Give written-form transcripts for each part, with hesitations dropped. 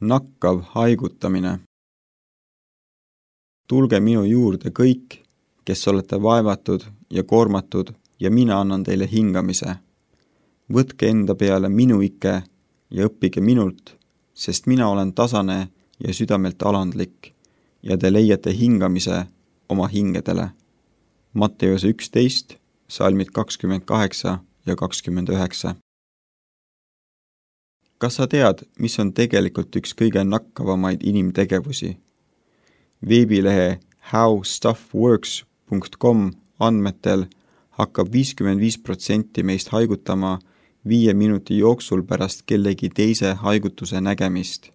Nakkav haigutamine. Tulge minu juurde kõik, kes olete vaevatud ja koormatud, ja mina annan teile hingamise. Võtke enda peale minu ike ja õppige minult, sest mina olen tasane ja südamelt alandlik, ja te leiate hingamise oma hingedele. Matteuse 11, salmid 28 ja 29. Kas sa tead, mis on tegelikult üks kõige nakkavamaid inimtegevusi? Veebilehe howstuffworks.com andmetel hakkab 55% meist haigutama 5 minuti jooksul pärast kellegi teise haigutuse nägemist.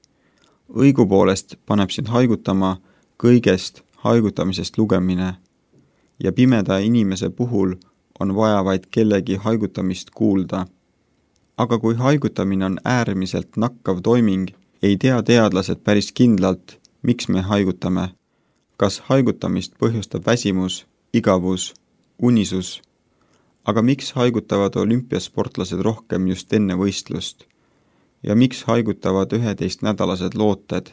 Õigupoolest paneb sind haigutama kõigest haigutamisest lugemine ja pimeda inimese puhul on vaja vaid kellegi haigutamist kuulda. Aga kui haigutamine on äärmiselt nakkav toiming, ei tea teadlased päris kindlalt, miks me haigutame. Kas haigutamist põhjustab väsimus, igavus, unisus? Aga miks haigutavad olümpiasportlased rohkem just enne võistlust? Ja miks haigutavad 11-nädalased looted?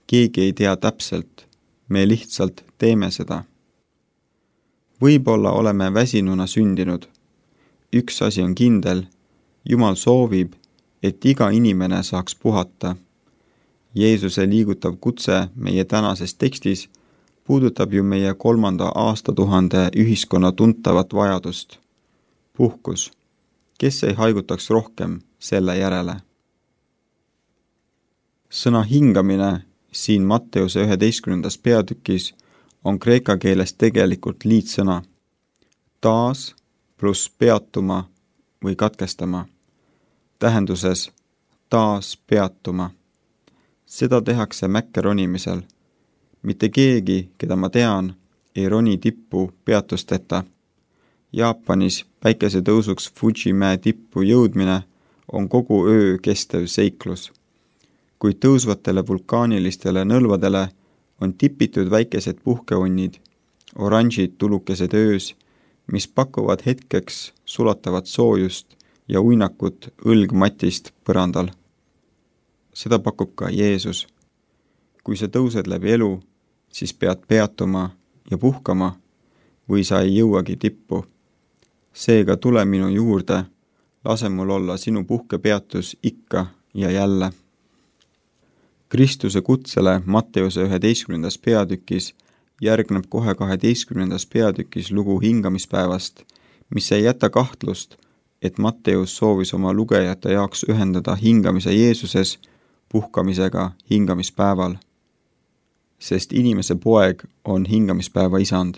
Keegi ei tea täpselt, me lihtsalt teeme seda. Võib-olla oleme väsinuna sündinud. Üks asi on kindel, Jumal soovib, et iga inimene saaks puhata. Jeesuse liigutav kutse meie tänases tekstis puudutab ju meie 3. aastatuhande ühiskonna tuntavat vajadust. Puhkus. Kes ei haigutaks rohkem selle järele? Sõna hingamine siin Matteuse 11. peatükis on kreeka keeles tegelikult liitsõna. Taas pluss peatuma või katkestama. Tähenduses taas peatuma. Seda tehakse mäkke ronimisel. Mitte keegi, keda ma tean, ei roni tippu peatusteta. Jaapanis päikesetõusuks Fuji mäe tippu jõudmine on kogu öö kestev seiklus. Kuid tõusvatele vulkaanilistele nõlvadele on tipitud väikesed puhkeonnid, oranžid tulukesed öös, mis pakuvad hetkeks sulatavat soojust ja uinakut õlgmatist põrandal. Seda pakub ka Jeesus. Kui sa tõused läbi elu, siis pead peatuma ja puhkama või sa ei jõuagi tippu. Seega tule minu juurde, lase mul olla sinu puhkepeatus ikka ja jälle. Kristuse kutsele Matteuse 11. peatükis järgneb kohe 12. peatükis lugu hingamispäevast, mis ei jäta kahtlust, et Matteus soovis oma lugejate jaoks ühendada hingamise Jeesuses puhkamisega hingamispäeval. Sest inimese poeg on hingamispäeva isand.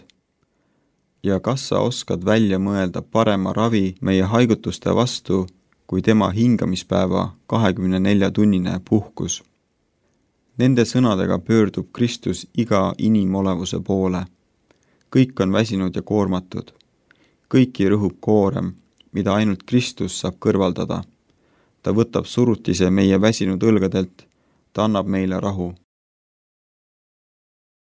Ja kas sa oskad välja mõelda parema ravi meie haigutuste vastu, kui tema hingamispäeva 24-tunnine puhkus? Nende sõnadega pöördub Kristus iga inimolevuse poole. Kõik on väsinud ja koormatud. Kõiki rõhub koorem, mida ainult Kristus saab kõrvaldada. Ta võtab surutise meie väsinud õlgadelt, ta annab meile rahu.